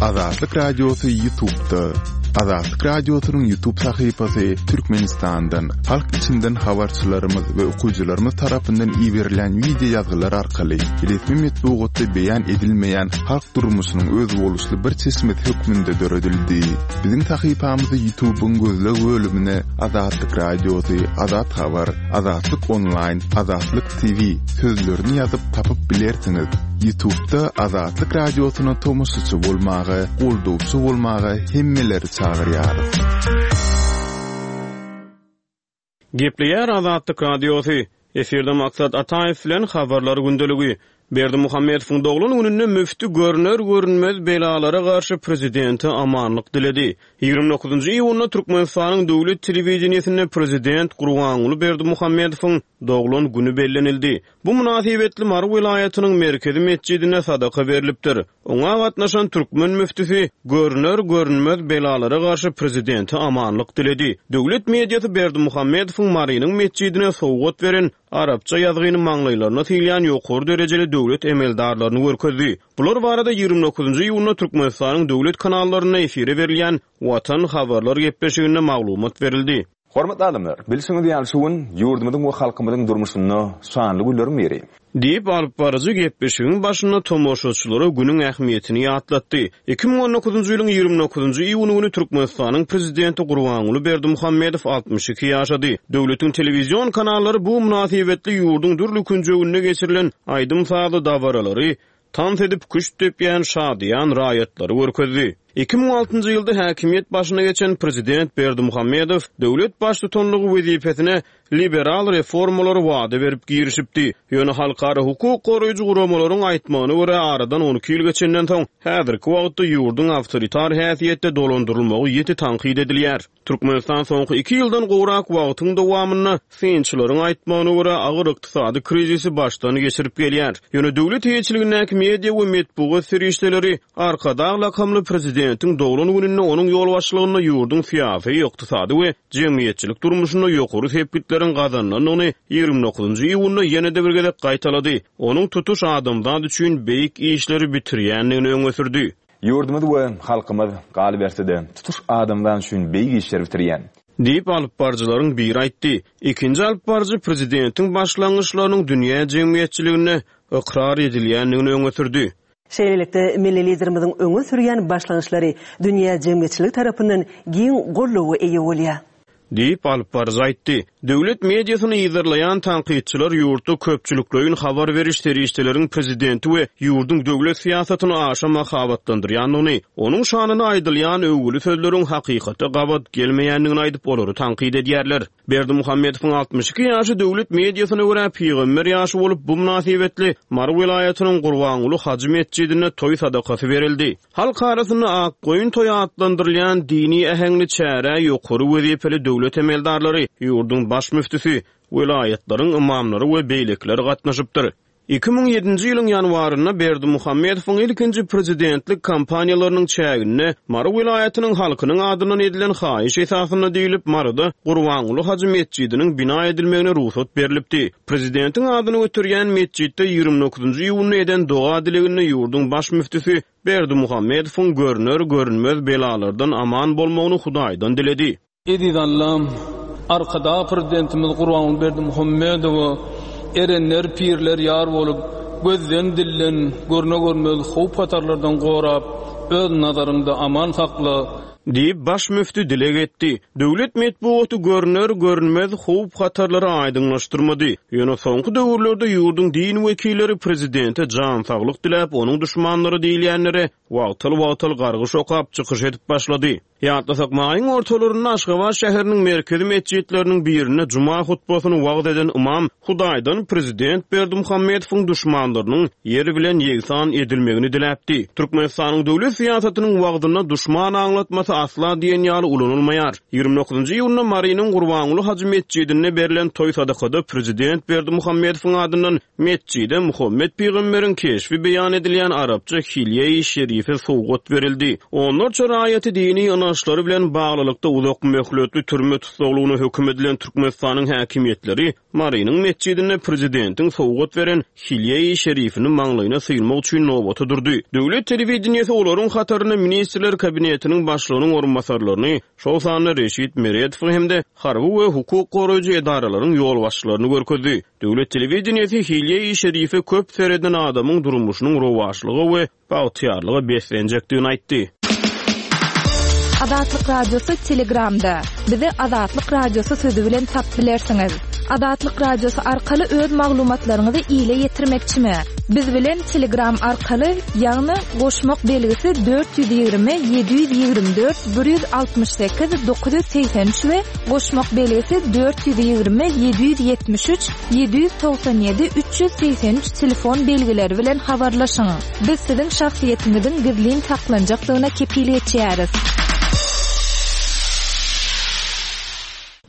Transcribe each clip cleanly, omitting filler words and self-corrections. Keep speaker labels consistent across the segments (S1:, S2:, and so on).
S1: Azatlyk Radiosy Ýutubda. Azatlyk Radiosynyň Ýutub sahypasy Türkmenistandan, halk içinden habarçylarymyz we okyjylarymyz tarapyndan iberilýän wideo ýazgylar arkaly resmi metbugatda beýan edilmeýän halk durmuşynyň özboluşly bir çeşmesi hökmünde döredildi. Biziň sahypamyzy Ýutubyň gözleg bölümine Azatlyk Radiosy, Azat Habar, Azatlyk Onlaýn, Azatlyk TV sözlerini ýazyp tapyp bilersiňiz. Ýutubda Azatlyk Radiosyna tomaşaçy bolmaga, goldawçy bolmaga hemmeleri çagyrýarys.
S2: Gepleýär Azatlyk Radiosy. Efirde Maksat Ataýew bilen Habarlar gündeligi. Berdimuhamedowyň doglan gününde müfti görner-görünmez belalara garşy prezidente amanlyk diledi. 29 iýunda Türkmenistanyň döwlet telewideniýesinde prezident Gurbanguly Berdimuhamedowyň doglan güni bellenildi. Bu mynasybetli Mary welaýatynyň merkezi metjidinde sadaka berlipdir. Oňa gatnaşan türkmen müftüsi görner-görünmez belalara garşy prezidente amanlyk diledi. Döwlet mediasy Berdimuhamedowyň Marynyň metjidine sowgat beren arapça ýazgyny maňlaýlaryna sylýan ýokary derejeli döwlet emeldarlaryny görkezdi. Bular barada 29 iýunda Türkmenistanyň döwlet kanallarynda efire berilýän Watan habarlar gepleşiginde maglumat berildi.
S3: Hormatly adamlar, bilşiňiz ýaly şu gün ýurdumyzyň we halkymyzyň durmuşynda şanly günleriň biri.
S2: Diýip, alypbaryjy gepleşigiň başynda tomaşaçylara günüň ähmiýetini ýatlatdy. 2019-njy ýylyň 29-njy iýuny güni Türkmenistanyň Prezidenti Gurbanguly Berdimuhamedow 62 ýaşady. Döwletiň telewizion kanallary bu mynasybetli ýurduň dürli künjeginde geçirilen aýdym-sazly dabaralary, tans edip küşt depýän şadyýan raýatlary görkezdi. 2006-njy ýylda häkimiýet başyna geçen prezident Berdimuhamedow döwlet baştutanlygy wezipesine liberal reformalary wada berip girişipdi. Ýöne halkara hukuk goraýjy guramalaryň aýtmagyna görä, aradan 12 ýyl geçenden soň, häzirki wagtda ýurduň awtoritar häsiýetde dolandyrylmagy ýiti tankyt edilýär. Türkmenistan soňky iki ýyldan gowrak wagtyň dowamynda, synçylaryň aýtmagyna görä, agyr ykdysady krizisi başdan geçirip gelýär. Ýöne döwlet eýeçiligindäki media we metbugat serişdeleri Arkadag lakamly prezidentiň doglan gününde onuň ýolbaşçylygynda ýurduň syýasy, ykdysady we jemgyýetçilik durmuşynda ýokary sepgitleriň gazanylandygyny 29 iýunda ýene-de bir gezek gaýtalady, onuň tutuş adamzat üçin beýik işleri bitirýändigini öňe sürdi.
S3: Ýurdumyz we halkymyz, galyberse-de, tutuş adamzat üçin beýik işleri bitirýän.
S2: Diýip, alypbaryjylaryň biri aýtdy. Ikinji alypbaryjy prezidentiň başlangyçlarynyň dünýä jemgyýetçiliginde ykrar edilýändigini öňe sürdi.
S4: Şeýlelikde, milli Liderimiziň öňe sürýän başlangyçlary dünýä jemgyýetçiligi tarapyndan giň goldawa eýe bolýar.
S2: Diýip, alypbaryjy aýtdy. Döwlet mediasyny yzarlaýan tankytçylar ýurtda köpçülikleýin habar beriş serişdeleriň prezidenti we ýurduň döwlet syýasatyny aşa mahabatlandyrýandygyny, onuň şanyna aýdylýan öwgüli sözleriň hakykata gabat gelmeýändigini aýdyp, olary tankyt edýärler. Berdimuhamedowyň 62 ýaşy döwlet mediasyna görä pygamber ýaşy bolup, bu mynasybetli Mary welaýatynyň Gurbanguly hajy metjidinde toý sadakasy berildi. Halk arasynda Akgoýun toýy atlandyrylýan dini äheňli çärä ýokary wezipeli döwlet emeldarlary, ýurduň baş müftüsi, welaýatlaryň ymamlary we beýlekiler gatnaşypdyr. 2007-nji ýylyň ýanwarynda Berdimuhamedowyň ilkinji prezidentlik kampaniýalarynyň çäginde Mary welaýatynyň halkynyň adyndan edilen haýyş esasynda diýlip, Maryda Gurbanguly hajy metjidiniň bina edilmegine rugsat berlipdi. Prezidentiň adyny göterýän metjitde 29-njy iýunda eden doga-dileginde ýurduň baş müftüsi Berdimuhamedowyň görner-görünmez belalardan aman bolmagyny Hudaýdan diledi.
S5: Eziz Allam, Arkadag Prezidentimiz Gurbanguly Berdimuhamedowa erenler, pirler ýar bolup, gözden-dilden, görne-görmez howp-hatarlardan gorap, öz nazaryňda aman sakla!
S2: Diýip, baş müfti dileg etdi. Döwlet metbugaty görner-görünmez howp-hatarlary aýdyňlaşdyrmady. Ýöne soňky döwürlerde ýurduň din wekilleri prezidente jan saglyk diläp, onuň duşmanlary diýilýänlere wagtal-wagtal gargyş okap, çykyş edip başlady. Ýatlasak, maýyň ortalarynda Aşgabat şäheriniň merkezi metjitleriniň birinde juma hutbasyny wagyz eden ymam Hudaýdan prezident Berdimuhamedowyň duşmanlarynyň ýer bilen ýegsan edilmegini diläpdi. Türkmenistanyň döwlet syýasatynyň wagzynda duşman aňlatmasy. asla diýen ýaly ulanylmaýar. 29-njy iýunda Marynyň Gurbanguly hajy metjidinde berlen toý sadakada prezident Berdimuhamedowyň adyndan metjide Muhammet pygamberiň keşbi beýan edilýän arapça hilýe-i şerife sowgat berildi. Onlarça raýaty dini ynançlary bilen baglylykda uzak möhletli türme tussaglygyna höküm edilen Türkmenistanyň häkimiýetleri Marynyň metjidinde prezidentiň sowgat beren hilýe-i şerifini maňlaýyna sylmak üçin nobata durdy. Döwlet telewideniýesi olaryň hatarynda Ministrler Kabinetiniň Başlygynyň orunbasarlaryny, şol sanda Reşit Meredowy hem-de harby we hukuk goraýjy edaralaryň ýolbaşçylaryny görkezdi. Döwlet telewideniýesi hilýe-i şerife köp sereden adamyň durmuşynyň rowaçlyga we bagtyýarlyga beslenjekdigini aýtdy.
S6: Azatlyk Radiosy Telegramda. Bizi Azatlyk Radiosy sözi bilen tapyp bilersiňiz. Azatlyk Radiosy arkaly öz maglumatlaryňyzy ile ýetirmekçimi? Biz bilen Telegram arkaly, ýagny goşmak belgisi 420 724 168 983 we goşmak belgisi 420 773 797 383 telefon belgileri bilen habarlaşyň. Biz siziň şahsyýetiňiziň gizlin saklanjakdygyna kepil geçýäris.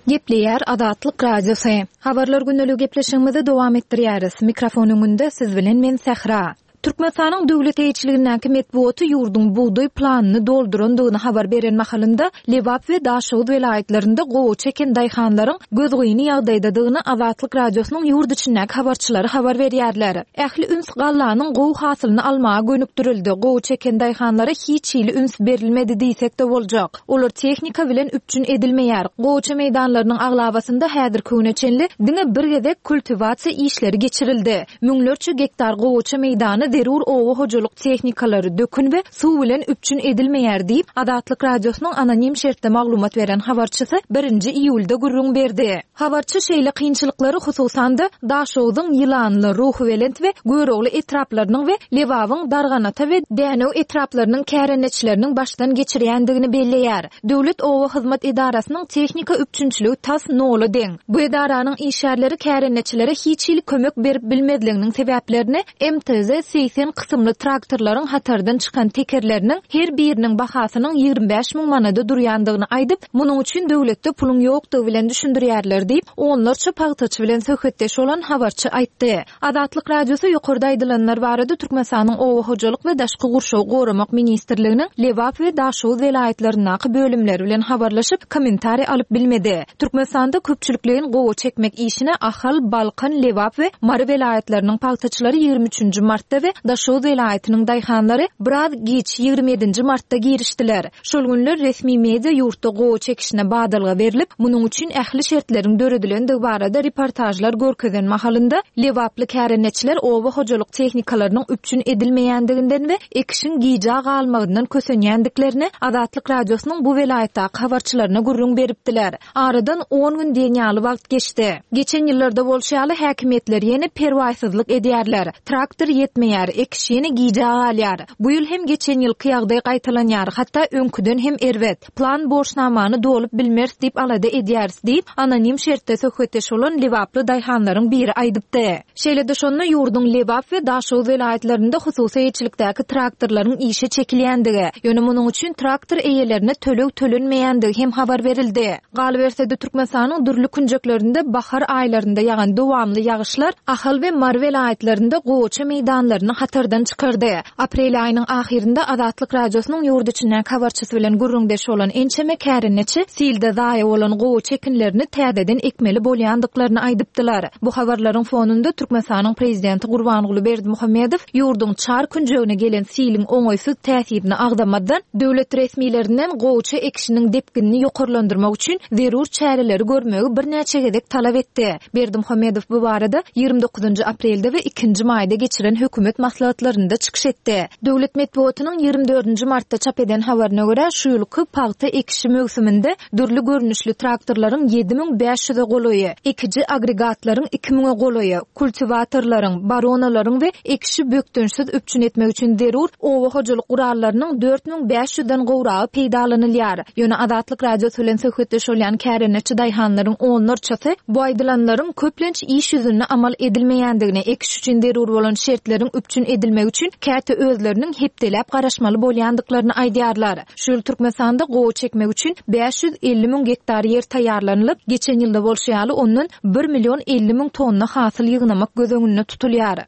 S6: Gepleýär Azatlyk Radiosy. Habarlar gündeligi gepleşigimizi dowam etdirýäris. Mikrofon öňünde siz bilen men Sähra. Türkmenistanyň döwlet eýeçiligindäki metbugaty ýurduň bugdaý planyny doldurandygyny habar beren mahalynda, Lebap we Daşoguz welaýatlarynda gowaça eken daýhanlaryň gözgyny ýagdaýdadygyny Azatlyk Radiosynyň ýurt içindäki habarçylary habar berýärler. Ähli üns gallanyň gowy hasylyny almaga gönükdirildi, gowaça eken daýhanlara hiç hili üns berilmedi diýsek-de boljak. Olar tehnika bilen üpjün edilmeýär. Gowaça meýdanlarynyň aglabasynda häzirki güne çenli diňe bir gezek kultiwasiýa işleri geçirildi. Müňlerçe gektar gowaça meýdany zerur oba hojalyk tehnikalary, dökün we suw bilen üpjün edilmeýär diýip, Azatlyk Radiosynyň anonim şertde maglumat beren habarçysy birinji iýulda gürrüň berdi. Habarçy şeýle kynçylyklary hususan-da, Daşogzuň Ýylanly, Ruhubelent we Görogly etraplarynyň we Lebabyň Darganata we Dänew etraplarynyň kärendeçileriniň başdan geçirýändigini belleýär. Döwlet oba hyzmat edarasynyň tehnika üpjünçiligi tas nola deň. Bu edaranyň işgärleri kärendeçilere hiç hili kömek berip bilmezliginiň sebäplerini MTZ 80 kysymly traktorlaryň hatardan çykan tekerleriniň her biriniň bahasynyň 25 müň manada durýandygyny aýdyp, munuň üçin döwletde puluň ýokdugy bilen düşündirýärler diýip, onlarça pagtaçy bilen söhbetdeş bolan habarçy aýtdy. Azatlyk Radiosy ýokarda aýdylanlar barada Türkmenistanyň Oba hojalyk we daşky gurşawy goramak ministrliginiň Lebap we Daşoguz welaýatlaryndaky bölümleri bilen habarlaşyp, kommentariý alyp bilmedi. Türkmenistanda köpçülikleýin gowaça ekmek işine Ahal, Balkan, Lebap we Mary welaýatlarynyň pagtaçylary 23 nji martda we Daşoguz welaýatynyň daýhanlary biraz giç, 27 nji martda girişdiler. Şol günler resmi media ýurtda gowaça ekişine badalga berlip, munuň üçin ähli şertleriň döredilendigi barada reportažlar görkezen mahalynda, lebaply kärendeçiler oba hojalyk tehnikalarynyň üpjün edilmeýändiginden we ekişiň gijä galmagyndan kösenýändiklerini Azatlyk Radiosynyň bu welaýatdaky habarçylaryna gürrüň beripdiler. Aradan on gün diýen ýaly wagt geçdi. Geçen ýyllarda bolşy ýaly, häkimiýetler ýene perwaýsyzlyk edýärler. Traktor ýetmeýär, ekiş ýene gijä galýar. Bu ýyl hem geçen ýylky ýagdaý gaýtalanýar, hatda öňküden hem erbet. Plan borçnamany dolup bilmeris diýip alada edýäris diýip, anonim şertde söhbetdeş bolan lebaply daýhanlaryň biri aýdypdy. Şeýle-de şonda ýurduň Lebap we Daşoguz welaýatlarynda hususy eýeçilikdäki traktorlaryň işe çekilýändigi, ýöne munuň üçin traktor eýelerine töleg tölenmeýändigi hem habar berildi. Galyberse-de, Türkmenistanyň dürli künjeklerinde bahar aýlarynda ýagan dowamly ýagyşlar Ahal we Mary welaýatlarynda gowaça meýdanlaryny hatardan çykardy. Aprel aýynyň ahyrynda Azatlyk Radiosynyň ýurt içindäki habarçysy bilen gürrüňdeş bolan ençeme kärendeçi silde zaýa bolan gowaça ekinlerini täzeden ekmeli bolýandyklaryny aýdypdylar. Bu habarlaryň fonunda Türkmenistanyň prezidenti Gurbanguly Berdimuhamedow ýurduň çar künjegine gelen siliň oňaýsyz täsirini agzamazdan, döwlet resmilerinden gowaça ekişiniň depginini ýokarlandyrmak üçin zerur çäreleri görmegi birnäçe gezek talap etdi. Berdimuhamedow bu barada 29-njy aprelde we ikinji maýda geçiren hökümet maslahatlarynda çykyş etdi. Döwlet metbugatynyň 24-nji martda çap eden habaryna görä, şu ýylky pagta ekişi möwsüminde dürli görnüşli traktorlaryň 7500-e golaýy, ekiji agregatlaryň iki müňe golaýy, kultiwatorlaryň, baronalaryň we ekişi bökdençsiz üpjün etmek üçin zerur oba hojalyk gurallarynyň 4500-den gowragy peýdalanylýar. Ýöne Azatlyk Radiosy bilen söhbetdeş bolýan kärendeçi daýhanlaryň onlarçasy bu aýdylanlaryň köplenç iş ýüzünde amal edilmeýändigini, ekiş üçin zerur bolan şertleriň. üpjün edilmegi üçin käte özleriniň hepdeläp garaşmaly bolýandyklaryny aýdýarlar. Şu ýyl Türkmenistanda gowa çekmek üçin 550 müň gektar ýer taýýarlanylyp, geçen ýylda bolşy ýaly ondan bir million 50 müň tonna hasyl ýygnamak göz öňünde tutulýar.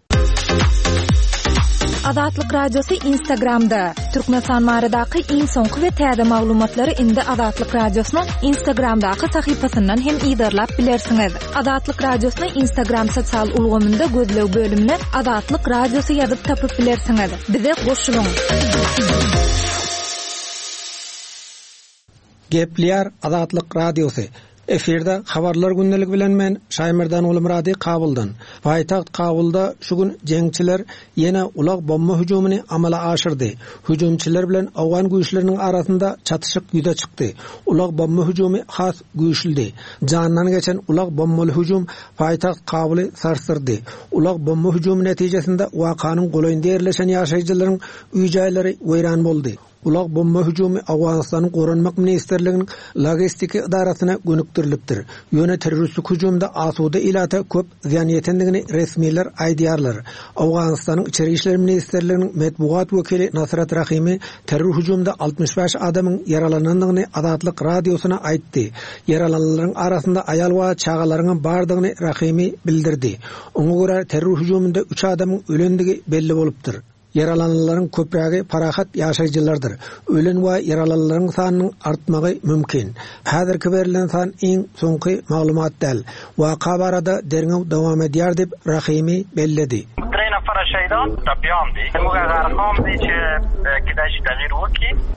S6: Azatlyk Radiosy Instagramda, Türkmenistan baradaky iň soňky we täze maglumatlary indi Azatlyk Radiosynyň Instagramdaky sahypasyndan hem yzarlap bilersiňiz. Azatlyk Radiosyny Instagram sosial ulgamynda gözleg bölümine Azatlyk Radiosy ýazyp tapyp bilersiňiz. Bize goşulyň!
S7: Gepleýär Azatlyk Radiosy. Efirde Habarlar gündeligi bilen men Şaýmerdan Gulmyrady Kabuldan. Paýtagt Kabulda şu gün jeňçiler ýene ulag bomba hüjümini amala aşyrdy. Hüjümçiler bilen owgan güýçleriniň arasynda çatyşyk ýüze çykdy. Ulag bomba hüjümi has güýçlüdi. Jandan geçen ulag bombaly hüjüm paýtagt Kabuly sarsdyrdy. Ulag bomba hüjümi netijesinde wakanyň golaýynda ýerleşen ýaşaýjylaryň öý-jaýlary weýran boldy. Ulag bomba hüjümi Owganystanyň Goranmak ministrliginiň logistiki edarasyna gönükdirilipdir. Ýöne terroristik hüjümde asuda ilata köp zyýan ýetendigini resmiler aýdýarlar. Owganystanyň Içeri işler ministrliginiň metbugat wekili Nasrat Rahimi terror hüjümde 65 adamyň ýaralanandygyny Azatlyk Radiosyna aýtdy. Ýaralananlaryň arasynda aýal we çagalaryňam bardygyny Rahimi bildirdi. Oňa görä, terror hüjüminde üç adamyň ölendigi belli bolupdyr. Ýaralananlaryň köprägi parahat ýaşaýjylardyr. Ölen we ýaralananlaryň sanynyň artmagy mümkin. Häzirki berlen san iň soňky maglumat däl. Waka barada derňew dowam edýär diýip, Rahimi belledi.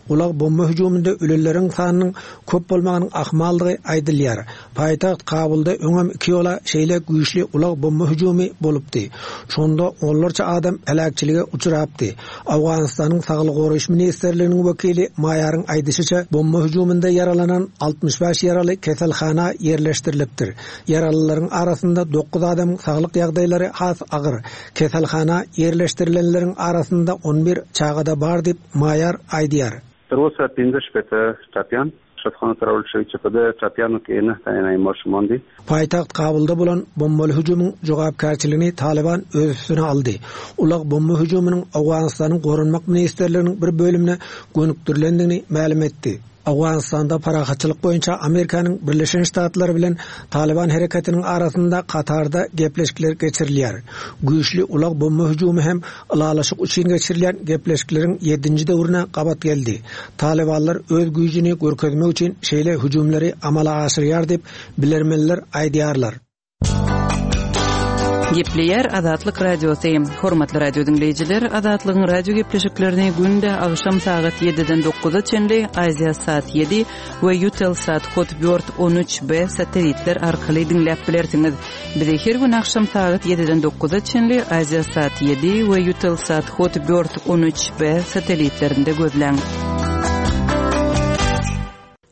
S7: Ulag bomba hüjüminde ölenleriň sanynyň köp bolmagynyň ahmaldygy aýdylýar. Paýtagt Kabulda öňem iki ýola şeýle güýçli ulag bomba hüjümi bolupdy. Şonda onlarça adam heläkçilige uçrapdy. Owganystanyň Saglygy goraýyş ministrliginiň wekili Maýaryň aýdyşyça, bomba hüjüminde ýaralanan 65 ýaraly keselhana ýerleşdirilipdir. Ýaralylaryň arasynda dokuz adamyň saglyk ýagdaýlary has agyr. Keselhana ýerleşdirilenleriň arasynda on bir çaga-da bar diýip, Maýar aýdýar. Paýtagt Kabulda bolan bombaly hüjümiň jogapkärçiligini Talyban öz üstüne aldy. Ulag bomba hüjüminiň Owganystanyň Goranmak ministrliginiň bir bölümine gönükdirilendigini mälim etdi. Owganystanda parahatçylyk boýunça Amerikanyň Birleşen Ştatlary bilen Talyban hereketiniň arasynda Katarda gepleşikler geçirilýär. Güýçli ulag bomba hüjümi hem ylalaşyk üçin geçirilýän gepleşikleriň ýedinji döwrüne gabat geldi. Talybanlar öz güýjüni görkezmek üçin şeýle hüjümleri amala aşyrýar diýip, bilermenler aýdýarlar.
S8: Gepleýär Azatlyk Radiosy. Hormatly radio diňleýjiler, Azatlygyň radio gepleşiklerini günde agşam sagat 7-den 9-a çenli Aziasat 7 we Eutelsat Hotbird 13B satelitler arkaly diňläp bilersiňiz. Bizi her gün agşam sagat 7-den 9-a çenli Aziasat 7 we Eutelsat Hotbird 13B satelitlerinde gözläň.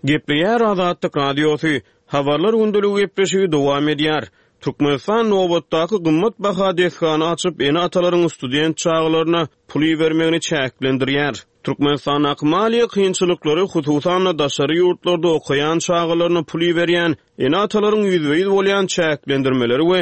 S2: Gepleýär Azatlyk Radiosy, Habarlar gündeligi gepleşigi dowam edýär. Türkmenistan nobatdaky gymmat baha desgany açyp, ene-atalaryň student çagalaryna pul ibermegini çäklendirýär. Türkmenistandaky maliýe kynçylyklary, hususan-da, daşary ýurtlarda okaýan çagalaryna pul iberýän ene-atalaryň ýüzbe-ýüz bolýan çäklendirmeleri we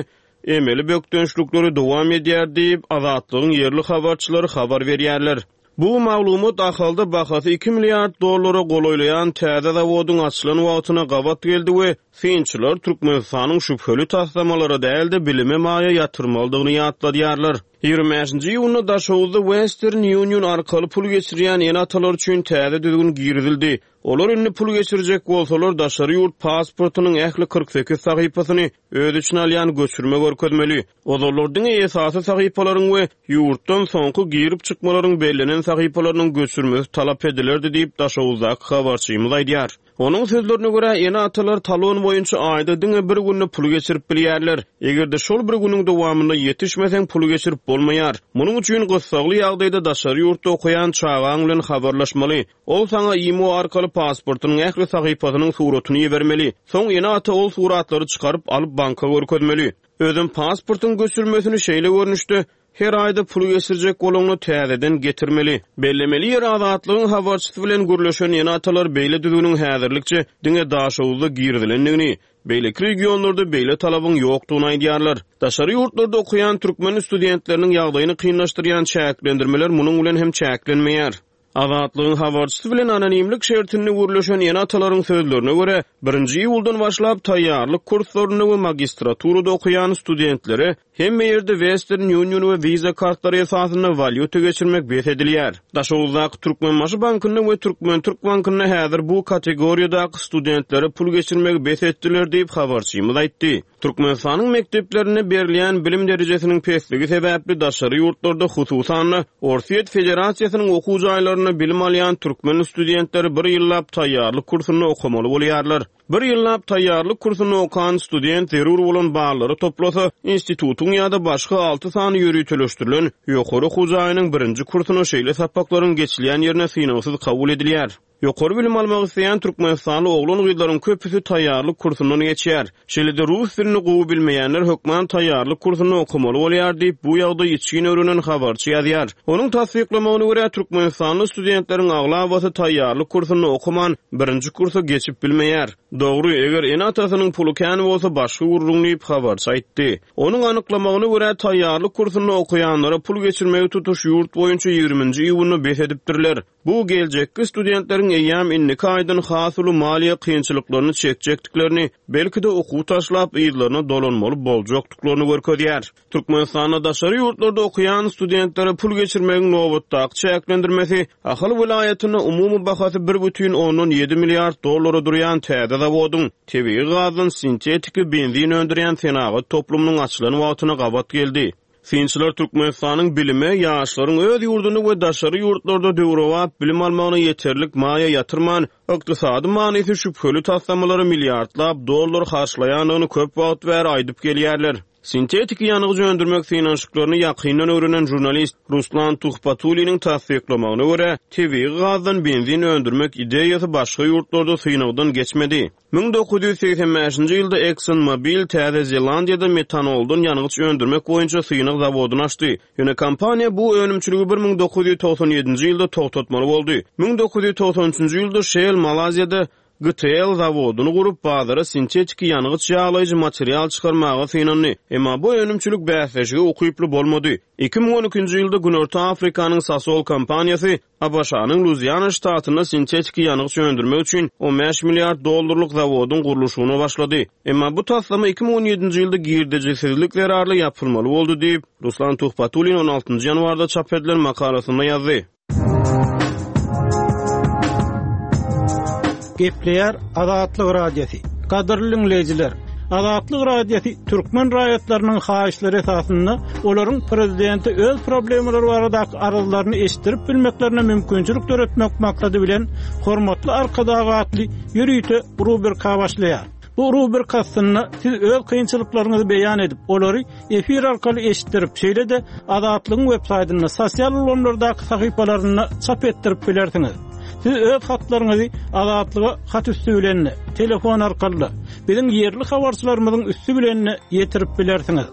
S2: emeli bökdençlikleri dowam edýär diýip, Azatlygyň ýerli habarçylary habar berýärler. Bu maglumat Ahalda bahasy iki milliard dollara golaýlaýan täze zawodyň açylan wagtyna gabat geldi we synçylar Türkmenistanyň şübheli taslamalara däl-de, bilime maýa ýatyrmalydygyny ýatladýarlar. 25-nji iýunda Daşoguzda Western Union arkaly pul geçirýän ene-atalar üçin täze düzgün girizildi. Olar indi pul geçirjek bolsalar, daşary ýurt pasportynyň ähli 48 sahypasyny öz içine alýan göçürme görkezmeli. Ozallar diňe esasy sahypalaryň we ýurtdan soňky girip-çykmalaryň bellenen sahypalarynyň göçürmesi talap edilerdi diýip, Daşoguzdaky habarçymyz aýdýar. Onuň sözlerine görä, ene-atalar talon boýunça aýda diňe bir günde pul geçirip bilýärler. Eger-de şol bir günüň dowamynda ýetişmeseň, pul geçirip bolmaýar. Munuň üçin gyssagly ýagdaýda daşary ýurtda okaýan çagaň bilen habarlaşmaly. Ol saňa imo arkaly pasportynyň ähli sahypasynyň suratyny ibermeli. Soň ene-ata ol suratlary çykaryp alyp banka görkezmeli. Özem pasportyň göçürmesini şeýle görnüşde. Her aýda pul geçirjek bolaňda täzeden getirmeli. Bellemeli ýeri Azatlygyň habarçysy bilen gürleşen ene-atalar beýle düzgüniň häzirlikçe diňe Daşoguzda girizilendigini, beýleki regionlarda beýle talabyň ýokdugyny aýdýarlar. Daşary ýurtlarda okaýan türkmen studentleriniň ýagdaýyny kynlaşdyrýan çäklendirmeler munuň bilen hem çäklenmeýär. Azatlygyň habarçysy bilen anonimlik şertinde gürleşen ene-atalaryň sözlerine görä, birinji iýuldan başlap taýýarlyk kurslarynda we magistraturada okaýan studentlere hemme ýerde Western Union we Visa kartlary esasynda walýuta geçirmek bes edilýär. Daşoguzdaky Türkmenbaşy bankynda we Türkmen-Türk bankynda häzir bu kategoriýadaky studentlere pul geçirmegi bes etdiler diýip, habarçymyz aýtdy. Türkmenistanyň mekdeplerinde berilýän bilim derejesiniň pesligi sebäpli daşary ýurtlarda, hususan-da, Orsýet Federasiýasynyň okuw jaýlarynda bilim alýan türkmen studentleri bir ýyllap taýýarlyk kursunda okamaly bolýarlar. Bir ýyllap taýýarlyk kursunda okan student zerur bolan ballary toplasa, institutyň ýa-da başga alty sany ýöriteleşdirilen ýokary okuw jaýynyň birinji kursuna şeýle sapaklaryň geçilýän ýerine synagsyz kabul edilýär. Ýokary bilim almak isleýän türkmenistanly oglan-gyzlaryň köpüsi taýýarlyk kursundan geçýär. Şeýle-de rus dilini gowy bilmeýänler hökman taýýarlyk kursunda okamaly bolýar diýip, bu ýagdaýy içgin öwrenen habarçy ýazýar. Onuň tassyklamagyna görä, türkmenistanly studentleriň aglabasy taýýarlyk kursunda okaman, birinji kursa geçip bilmeýär. Dogry, eger ene-atasynyň puly kän bolsa başga gürrüň diýip, habarçy aýtdy. Onuň anyklamagyna görä, taýýarlyk kursunda okaýanlara pul geçirmegi tutuş ýurt boýunça ýigriminji iýunda bes edipdirler. Bu geljekki studentleriň eýýäm indiki aýdan has uly maliýe kynçylyklaryny çekjekdiklerini, belki-de okuw taşlap yzlaryna dolanmaly boljakdyklaryny görkezýär. Türkmenistanda daşary ýurtlarda okaýan studentlere pul geçirmegiň nobatdaky çäklendirmesi Ahal welaýatynda umumy bahasy 1,7 milliard dollara durýan täze zawodyň, tebigy gazdan sintetiki benzin öndürýän senagat toplumynyň açylan wagtyna gabat geldi. Synçylar Türkmenistanyň bilime, ýaşlaryň öz ýurdunda we daşary ýurtlarda döwrebap bilim almagyna ýeterlik maýa ýatyrman, ykdysady manysy şübheli taslamalara milliardlap dollar harçlaýandygyny köp wagt bäri aýdyp gelýärler. Sintetiki ýangyç öndürmek synanyşyklaryny ýakyndan öwrenen žurnalist Ruslan Tuhbatulliniň tassyklamagyna görä, tebigy gazdan benzin öndürmek ideýasy başga ýurtlarda synagdan geçmedi. 1985-nji ýylda Exxon Mobil Täze Zelandiýada metanoldan ýangyç öndürmek boýunça synag zawodyny açdy. Ýöne kompaniýa bu önümçiligi 1997-nji ýylda togtatmaly boldy. 1993-nji ýylda Shell Malaýziýada GTL zawodyny gurup, bazara sintetiki ýangyç ýaglaýjy material çykarmaga synandy. Emma bu önümçilik bäsleşige ukyply bolmady. 2012-nji ýylda Günorta Afrikanyň Sasol kompaniýasy ABŞ-nyň Luiziana ştatynda sintetiki ýangyç öndürmek üçin 15 milliard dollarlyk zawodyň gurluşygyna başlady. Emma bu taslama 2017-nji ýylda girdejisizlik zerarly ýapylmaly boldy diýip, Ruslan Tuhbatullin on altynjy ýanwarda çap edilen makalasynda ýazdy.
S9: Gepleýär Azatlyk Radiosy. Gadyrly diňleýjiler! Azatlyk Radiosy türkmen raýatlarynyň haýyşlary esasynda olaryň prezidente öz problemalary baradaky arzlaryny eşitdirip bilmeklerine mümkinçilik döretmek maksady bilen Hormatly Arkadag atly ýörite rubrika başlaýar. Bu rubrika astynda siz öz kynçylyklaryňyzy beýan edip, olary efir arkaly eşitdirip, şeýle-de Azatlygyň websaýtynda, sosial ulgamlardaky sahypalarynda çap etdirip bilersiňiz. Siz öz hatlaryňyzy Azatlyga hat üsti bilen-de, telefon arkaly-da, biziň ýerli habarçylarymyzyň üsti bilen-de ýetirip bilersiňiz.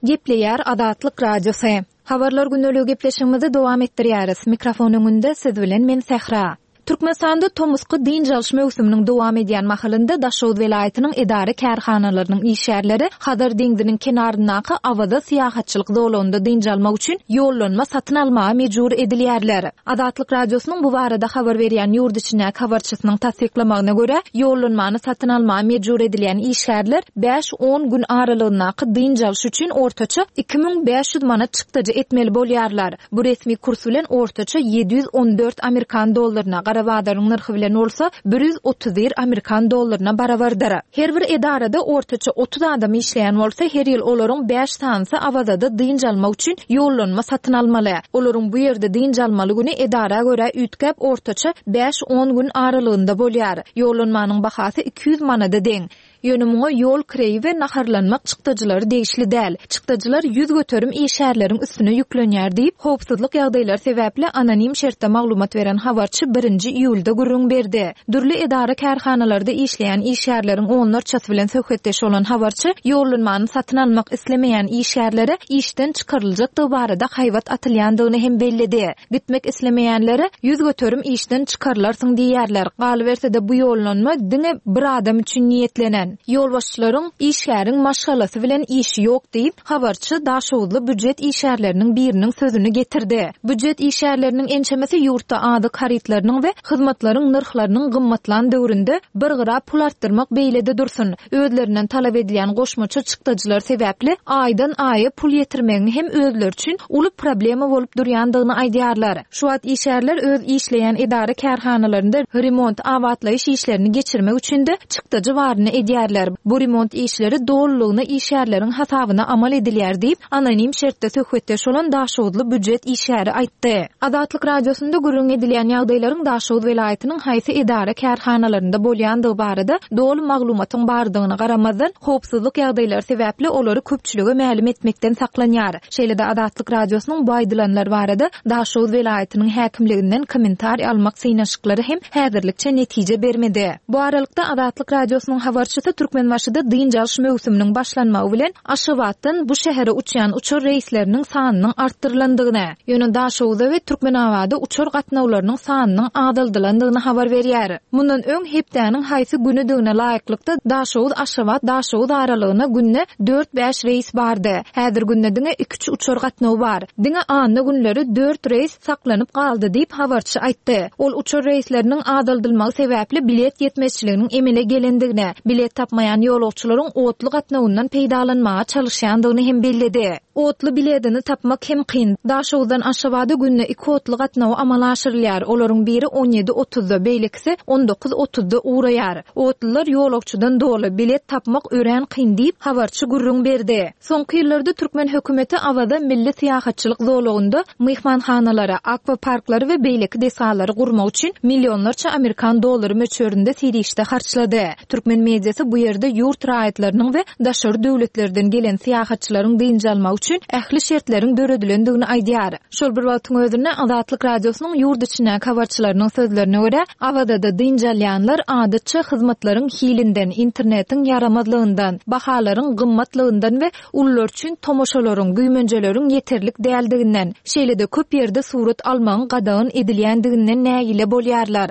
S6: Gepleýär Azatlyk Radiosy. Habarlar gündeligi gepleşigimizi dowam etdirýäris. Mikrofon öňünde siz bilen men Sähra. Türkmenistanda tomusky dynç alyş möwsüminiň dowam edýän mahalynda Daşoguz welaýatynyň edara-kärhanalarynyň işgärleri Hazar deňziniň kenaryndaky Awaza syýahatçylyk zolagynda dynç almak üçin ýollanma satyn almaga mejbur edilýärler. Azatlyk Radiosynyň bu barada habar berýän ýurt içindäki habarçysynyň tassyklamagyna görä, ýollanmany satyn almaga mejbur edilýän işgärler bäş-on gün aralygyndaky dynç alyş üçin ortaça 2500 manat çykdajy etmeli bolýarlar. Bu resmi kurs bilen ortaça 714 amerikan dollaryna, gara bazaryň nyrhy bilen bolsa 131 amerikan dollaryna barabardyr. Her bir edarada ortaça 30 adam işleýän bolsa, her ýyl olaryň bäş sanysy Awazada dynç almak üçin ýollanma satyn almaly. Olaryň bu ýerde dynç almaly güni edara görä üýtgäp, ortaça bäş-on gün aralygynda bolýar. Ýollanmanyň bahasy 200 manada deň. Ýöne muňa ýol kireýi we naharlanmak çykdajylary degişli däl. Çykdajylar 100% işgärleriň üstüne ýüklenýär diýip, howpsuzlyk ýagdaýlary sebäpli anonim şertde maglumat beren habarçy birinji iýulda gürrüň berdi. Dürli edara-kärhanalarda işleýän işgärleriň onlarçasy bilen söhbetdeş bolan habarçy ýollanmany satyn almak islemeýän işgärlere işden çykaryljakdygy barada haýbat atylýandygyny hem belledi. Gitmek islemeýänlere 100% işden çykarylarsyň diýýärler. Galyberse-de bu ýollanma diňe bir adam üçin niýetlenen. Ýolbaşçylaryň işgäriň maşgalasy bilen işi ýok diýip, habarçy daşoguzly býujet işgärleriniň biriniň sözüni getirdi. Býujet işgärleriniň ençemesi ýurtda azyk harytlarynyň we hyzmatlaryň nyrhlarynyň gymmatlan döwründe bir gyra pul artdyrmak beýle-de dursun, özlerinden talap edilýän goşmaça çykdajylar sebäpli aýdan-aýa pul ýetirmegiň hem özleri üçin uly problema bolup durýandygyny aýdýarlar. Şu wagt işgärler öz işleýän edara-kärhanalarynda remont, abatlaýyş işlerini geçirmek üçin-de çykdajy baryny edýärler. Bu remont işleri dolulygyna işgärleriň hasabyna amal edilýär diýip, anonim şertde söhbetdeş bolan daşoguzly býujet işgäri aýtdy. Azatlyk Radiosynda gürrüň edilýän ýagdaýlaryň Daşoguz welaýatynyň haýsy edara-kärhanalarynda bolýandygy barada doly maglumatyň bardygyna garamazdan, howpsuzlyk ýagdaýlary sebäpli olary köpçülige mälim etmekden saklanýar. Şeýle-de Azatlyk Radiosynyň bu aýdylanlar barada Daşoguz welaýatynyň häkimliginden kommentariý almak synanyşyklary hem häzirlikçe netije bermedi. Bu aralykda, Azatlyk Radiosynyň habarçysy Türkmenbaşyda dynç alyş möwsüminiň başlanmagy bilen Aşgabatdan bu şähere uçýan uçar reýsleriniň sanynyň artdyrylandygyny, ýöne Daşoguza we Türkmenabada uçar gatnawlarynyň sanynyň azaldylandygyny habar berýär. Mundan öň hepdäniň haýsy günüdigine laýyklykda Daşoguz-Aşgabat-Daşoguz aralygyna günde dört-bäş reýs bardy. Häzir günde diňe iküç uçar gatnawy bar. Diňe anna günleri dört reýs saklanyp galdy diýip, habarçy aýtdy. Ol uçar reýsleriniň azaldylmagy sebäpli bilet ýetmezçiliginiň emele gelendigini, bilet tapmaýan ýolagçylaryň otly gatnawyndan peýdalanmaga çalyşýandygyny hem belledi. Otly biledini tapmak hem kyn. Daşoguzdan Aşgabada günde iki otly gatnawy amala aşyrylýar. Olaryň biri on ýedi otuzda, beýlekisi on dokuz otuzda ugraýar. Otlular ýolagçydan doly, bilet tapmak örän kyn diýip, habarçy gürrüň berdi. Soňky ýyllarda türkmen hökümeti Awaza milli syýahatçylyk zolagynda myhmanhanalary, akwaparklary we beýleki desgalary gurmak üçin millionlarça amerikan dollary möçberinde serişde harçlady. Türkmen mediasy bu ýerde ýurt raýatlarynyň we daşary döwletlerden gelen syýahatçylaryň dynç almagy üçin ähli şertleriň döredilendigini aýdýar. Şol bir wagtyň özünde, Azatlyk Radiosynyň ýurt içindäki habarçylarynyň sözlerine görä, Awazada dynç alýanlar adatça hyzmatlaryň hilinden, internetiň ýaramazlygyndan, bahalaryň gymmatlygyndan we ulular üçin tomaşalaryň, güýmenjeleriň ýeterlik däldiginden, şeýle-de köp ýerde surat almagyň gadagan edilýändiginden nägile bolýarlar.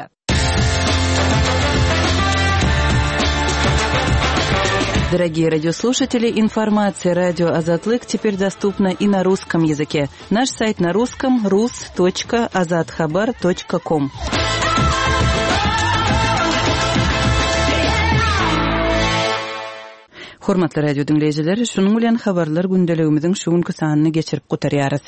S8: Дорогие радиослушатели, информация радио Азатлык теперь доступна и на русском языке. Наш сайт на русском rus.azathabar.com. Hormatly radio diňleýjiler, şunuň bilen habarlar gündeligimiziň şu günki sanyny geçirip gutarýarys.